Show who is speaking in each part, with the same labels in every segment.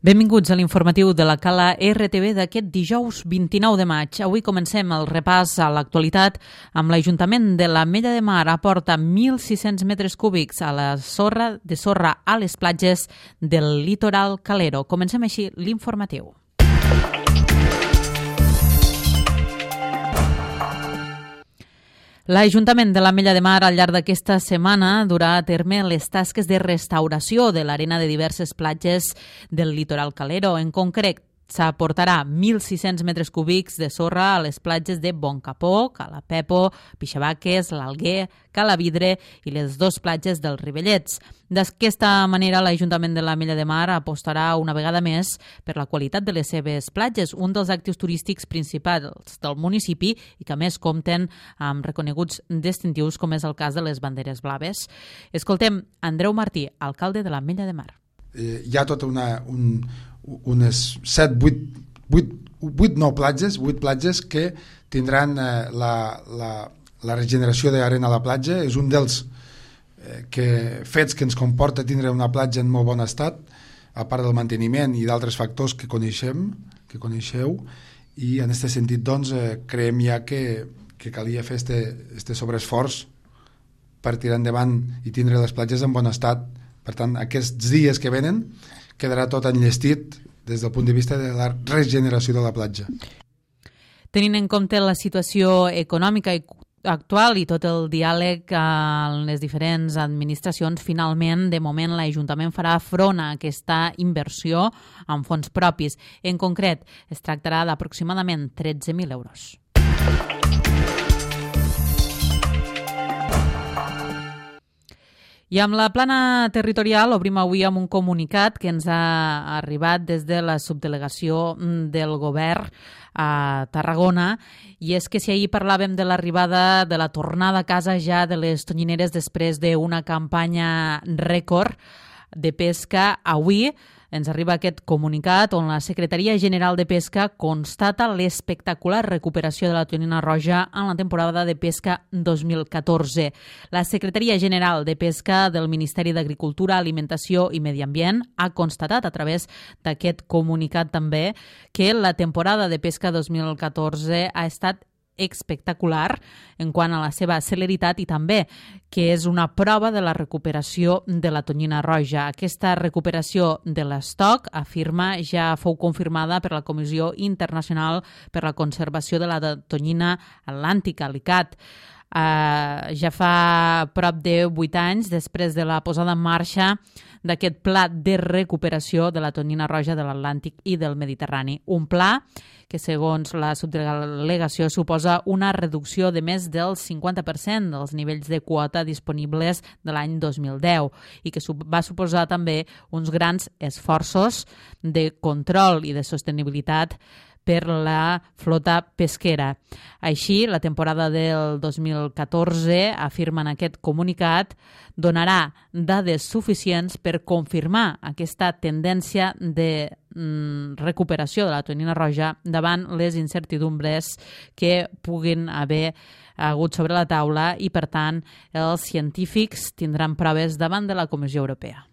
Speaker 1: Benvinguts a l'informatiu de la Cala RTV d'aquest dijous 29 de maig. Avui comencem el repàs a l'actualitat amb l'Ajuntament de l'Ametlla de Mar aporta 1.600 metres cúbics a la de sorra a les platges del litoral calero. Comencem així l'informatiu. L'Ajuntament de l'Ametlla de Mar al llarg d'aquesta setmana durà a terme les tasques de restauració de l'arena de diverses platges del litoral calero. En concret, s'aportarà 1.600 metres cúbics de sorra a les platges de Boncapó, Cala Pepo, Pixabaques, l'Alguer, Calavidre i les dues platges dels Rivellets. D'aquesta manera, l'Ajuntament de l'Ametlla de Mar apostarà una vegada més per la qualitat de les seves platges, un dels actius turístics principals del municipi i que a més compten amb reconeguts distintius com és el cas de les banderes blaves. Escoltem Andreu Martí, alcalde de l'Ametlla de Mar.
Speaker 2: Hi ha tota unes 8 platges que tindran la regeneració d'arena a la platja. És un dels fets que ens comporta tindre una platja en molt bon estat, a part del manteniment i d'altres factors que coneixeu, i en aquest sentit doncs, creiem ja que calia fer este sobreesforç per tirar endavant i tindre les platges en bon estat. Per tant, aquests dies que venen quedarà tot enllestit des del punt de vista de la regeneració de la platja.
Speaker 1: Tenint en compte la situació econòmica actual i tot el diàleg amb les diferents administracions, finalment, de moment, l'Ajuntament farà front a aquesta inversió amb fons propis. En concret, es tractarà d'aproximadament 13.000 euros. I amb la plana territorial obrim avui amb un comunicat que ens ha arribat des de la subdelegació del govern a Tarragona, i és que si ahir parlàvem de l'arribada de la tornada a casa ja de les tonyineres després d'una campanya rècord de pesca, avui ens arriba aquest comunicat on la Secretaria General de Pesca constata l'espectacular recuperació de la tonyina roja en la temporada de pesca 2014. La Secretaria General de Pesca del Ministeri d'Agricultura, Alimentació i Medi Ambient ha constatat a través d'aquest comunicat també que la temporada de pesca 2014 ha estat espectacular en quant a la seva celeritat i també que és una prova de la recuperació de la tonyina roja. Aquesta recuperació de l'estoc, afirma, ja fou confirmada per la Comissió Internacional per la Conservació de la Tonyina Atlàntica, l'ICAT. Ja fa prop de 8 anys després de la posada en marxa d'aquest pla de recuperació de la tonyina roja de l'Atlàntic i del Mediterrani. Un pla que, segons la subdelegació, suposa una reducció de més del 50% dels nivells de quota disponibles de l'any 2010 i que va suposar també uns grans esforços de control i de sostenibilitat per la flota pesquera. Així, la temporada del 2014, afirma en aquest comunicat, donarà dades suficients per confirmar aquesta tendència de recuperació de la tonyina roja davant les incertidumbres que puguin haver hagut sobre la taula i, per tant, els científics tindran proves davant de la Comissió Europea.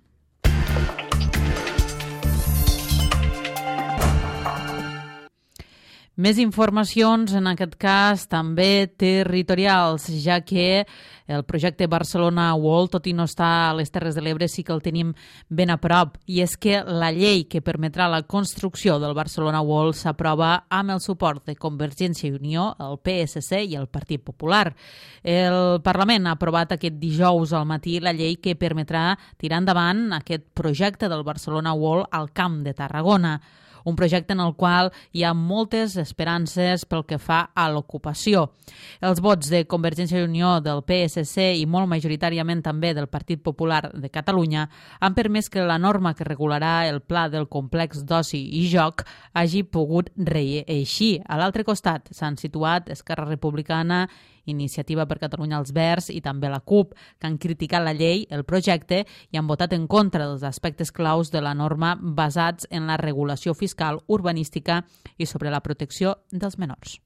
Speaker 1: Més informacions, en aquest cas també territorials, ja que el projecte Barcelona World, tot i no està a les Terres de l'Ebre, sí que el tenim ben a prop. I és que la llei que permetrà la construcció del Barcelona World s'aprova amb el suport de Convergència i Unió, el PSC i el Partit Popular. El Parlament ha aprovat aquest dijous al matí la llei que permetrà tirar endavant aquest projecte del Barcelona World al Camp de Tarragona. Un projecte en el qual hi ha moltes esperances pel que fa a l'ocupació. Els vots de Convergència i Unió, del PSC i molt majoritàriament també del Partit Popular de Catalunya han permès que la norma que regularà el pla del complex d'oci i joc hagi pogut reeixir. A l'altre costat s'han situat Esquerra Republicana, Iniciativa per Catalunya als Verds i també la CUP, que han criticat la llei, el projecte, i han votat en contra dels aspectes claus de la norma basats en la regulació fiscal, urbanística i sobre la protecció dels menors.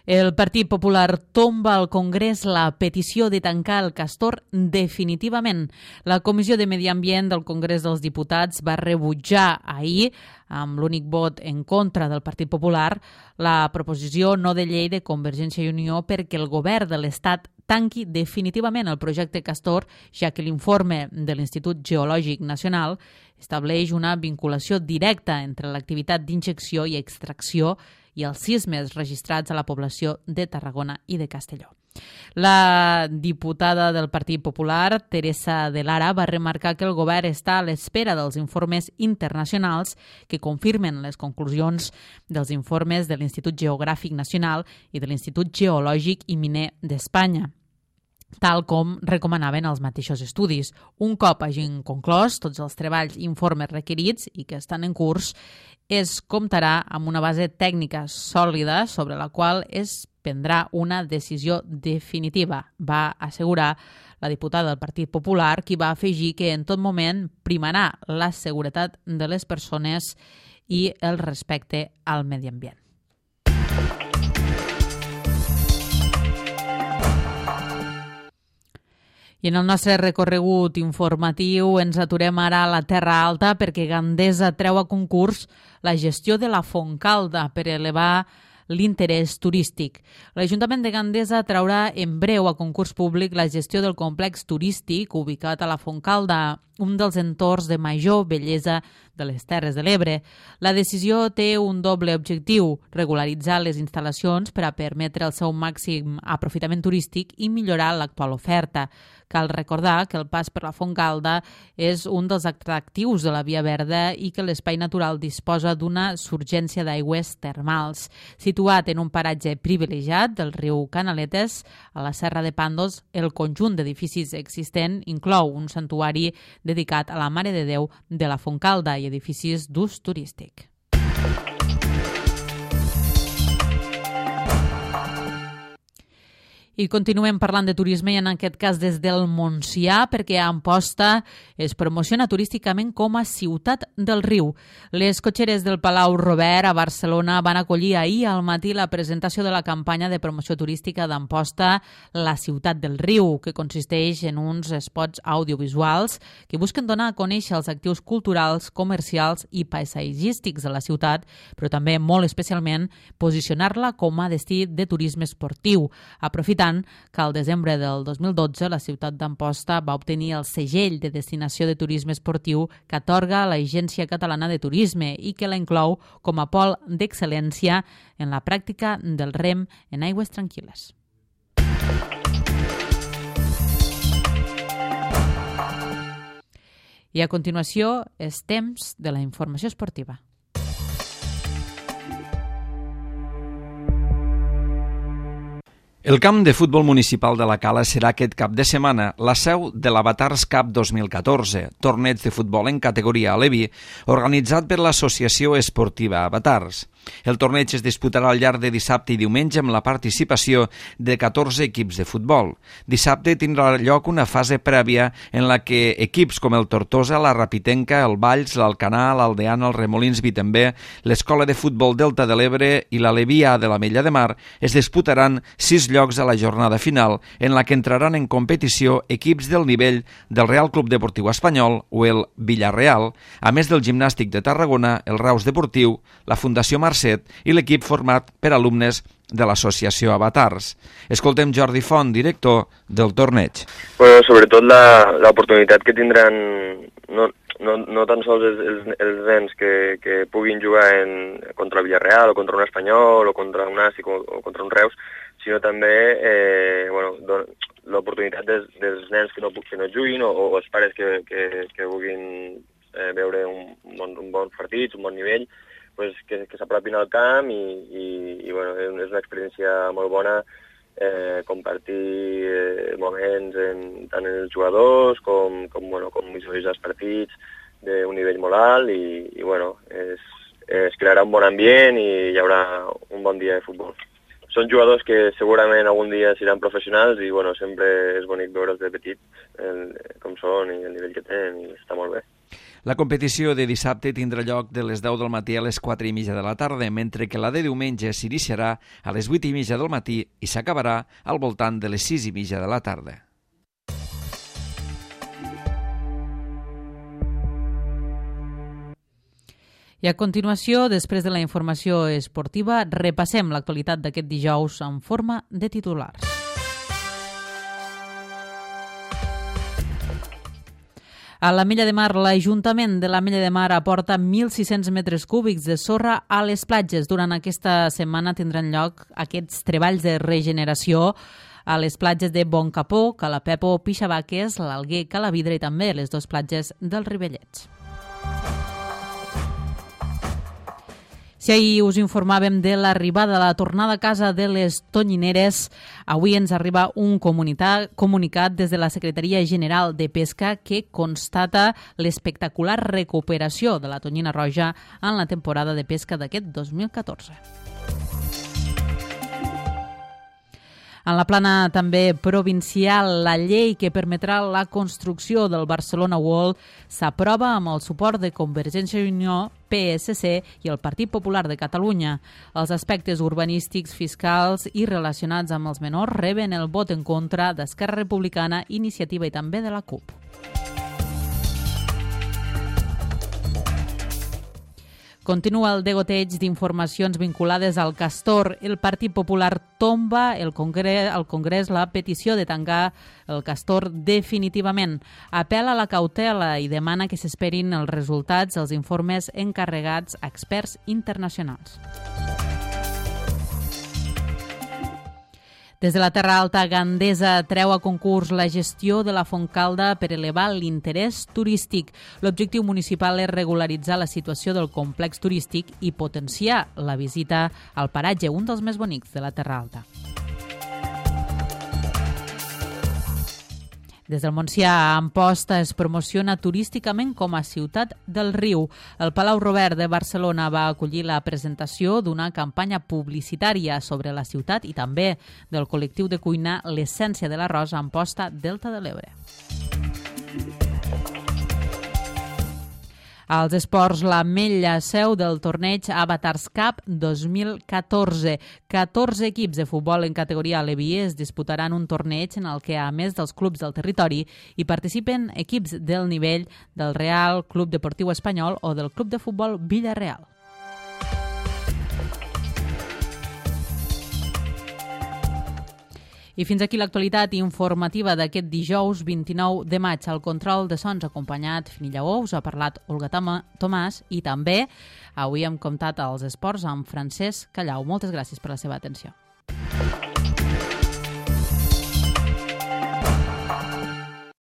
Speaker 1: El Partit Popular tomba al Congrés la petició de tancar el castor definitivament. La Comissió de Medi Ambient del Congrés dels Diputats va rebutjar ahir, amb l'únic vot en contra del Partit Popular, la proposició no de llei de Convergència i Unió perquè el govern de l'Estat tanqui definitivament el projecte Castor, ja que l'informe de l'Institut Geològic Nacional estableix una vinculació directa entre l'activitat d'injecció i extracció i els sismes registrats a la població de Tarragona i de Castelló. La diputada del Partit Popular, Teresa de Lara, va remarcar que el govern està a l'espera dels informes internacionals que confirmen les conclusions dels informes de l'Institut Geogràfic Nacional i de l'Institut Geològic i Miner d'Espanya, tal com recomanaven els mateixos estudis. Un cop hagin conclòs tots els treballs i informes requerits i que estan en curs, es comptarà amb una base tècnica sòlida sobre la qual es prendrà una decisió definitiva, va assegurar la diputada del Partit Popular, qui va afegir que en tot moment primarà la seguretat de les persones i el respecte al medi ambient. I en el nostre recorregut informatiu ens aturem ara a la Terra Alta perquè Gandesa treu a concurs la gestió de la Fontcalda per elevar l'interès turístic. L'Ajuntament de Gandesa traurà en breu a concurs públic la gestió del complex turístic ubicat a la Fontcalda, un dels entorns de major bellesa de les Terres de l'Ebre. La decisió té un doble objectiu: regularitzar les instal·lacions per a permetre el seu màxim aprofitament turístic i millorar l'actual oferta. Cal recordar que el pas per la Fontcalda és un dels atractius de la Via Verda i que l'espai natural disposa d'una surgència d'aigües termals. Situat en un paratge privilegiat del riu Canaletes, a la Serra de Pàndols, el conjunt d'edificis existent inclou un santuari dedicat a la Mare de Déu de la Fontcalda i edificis d'ús turístic. I continuem parlant de turisme i en aquest cas des del Montsià perquè Amposta es promociona turísticament com a ciutat del riu. Les cotxeres del Palau Robert a Barcelona van acollir ahir al matí la presentació de la campanya de promoció turística d'Amposta, la ciutat del riu, que consisteix en uns spots audiovisuals que busquen donar a conèixer els actius culturals, comercials i paisatgístics de la ciutat, però també molt especialment posicionar-la com a destí de turisme esportiu, aprofitant que al desembre del 2012 la ciutat d'Amposta va obtenir el segell de destinació de turisme esportiu que atorga l'Agència Catalana de Turisme i que la inclou com a pol d'excel·lència en la pràctica del rem en aigües tranquil·les. I a continuació és temps de la informació esportiva.
Speaker 3: El camp de futbol municipal de la Cala serà aquest cap de setmana la seu de l'Avatars Cup 2014, torneig de futbol en categoria Alevi, organitzat per l'Associació Esportiva Avatars. El torneig es disputarà al llarg de dissabte i diumenge amb la participació de 14 equips de futbol. Dissabte tindrà lloc una fase prèvia en la que equips com el Tortosa, la Rapitenca, el Valls, l'Alcanar, l'Aldeana, el Remolins Vitembé, l'Escola de Futbol Delta de l'Ebre i l'Alevià de la Mella de Mar es disputaran 6 llocs a la jornada final en la que entraran en competició equips del nivell del Real Club Deportiu Espanyol o el Villarreal, a més del Gimnàstic de Tarragona, el Reus Deportiu, la Fundació Marcet i l'equip format per alumnes de l'associació Avatars. Escoltem Jordi Font, director del torneig.
Speaker 4: Bueno, sobretot l'oportunitat que tindran no tan sols els nens que puguin jugar contra el Villarreal o contra un Espanyol o contra un Nàstic o contra un Reus, sinó també l'oportunitat dels nens que no juguin o els pares que vulguin veure un bon partit, un bon nivell, pues, que s'apropin al camp i bueno, és una experiència molt bona compartir moments tant en els jugadors com visualitzar els partits d'un nivell molt alt i bueno, es crearà un bon ambient i hi haurà un bon dia de futbol. Són jugadors que segurament algun dia seran professionals i bueno, sempre és bonic veure'ls de petit com són i el nivell que tenen i està molt bé.
Speaker 3: La competició de dissabte tindrà lloc de les 10 del matí a les 4:30 de la tarda, mentre que la de diumenge s'iniciarà a les 8:30 del matí i s'acabarà al voltant de les 6:30 de la tarda.
Speaker 1: I a continuació, després de la informació esportiva, repassem l'actualitat d'aquest dijous en forma de titulars. A l'Ametlla de Mar, l'Ajuntament de l'Ametlla de Mar aporta 1.600 metres cúbics de sorra a les platges. Durant aquesta setmana tindran lloc aquests treballs de regeneració a les platges de Boncapó, Calapepo, Pixabaques, l'Alguer, Calavidra i també les dues platges dels Ribellets. Si ahir us informàvem de l'arribada de la tornada a casa de les tonyineres, avui ens arriba un comunicat des de la Secretaria General de Pesca que constata l'espectacular recuperació de la tonyina roja en la temporada de pesca d'aquest 2014. En la plana també provincial, la llei que permetrà la construcció del Barcelona World s'aprova amb el suport de Convergència i Unió, PSC i el Partit Popular de Catalunya. Els aspectes urbanístics, fiscals i relacionats amb els menors reben el vot en contra d'Esquerra Republicana, Iniciativa i també de la CUP. Continua el degoteig d'informacions vinculades al castor. El Partit Popular tomba al Congrés la petició de tancar el castor definitivament. Apel·la a la cautela i demana que s'esperin els resultats dels informes encarregats a experts internacionals. Des de la Terra Alta, Gandesa treu a concurs la gestió de la Fontcalda per elevar l'interès turístic. L'objectiu municipal és regularitzar la situació del complex turístic i potenciar la visita al paratge, un dels més bonics de la Terra Alta. Des del Montsià, Amposta es promociona turísticament com a ciutat del riu. El Palau Robert de Barcelona va acollir la presentació d'una campanya publicitària sobre la ciutat i també del col·lectiu de cuina L'Essència de l'Arròs a Amposta, Delta de l'Ebre. Als esports, l'Ametlla, seu del torneig Avatars Cup 2014. 14 equips de futbol en categoria Aleví es disputaran un torneig en el que, a més dels clubs del territori, hi participen equips del nivell del Real Club Deportiu Espanyol o del Club de Futbol Villarreal. I fins aquí l'actualitat informativa d'aquest dijous 29 de maig. Al control de sons acompanyat Fini Lleó, us ha parlat Olga Tomàs i també avui hem comptat els esports amb Francesc Callau. Moltes gràcies per la seva atenció.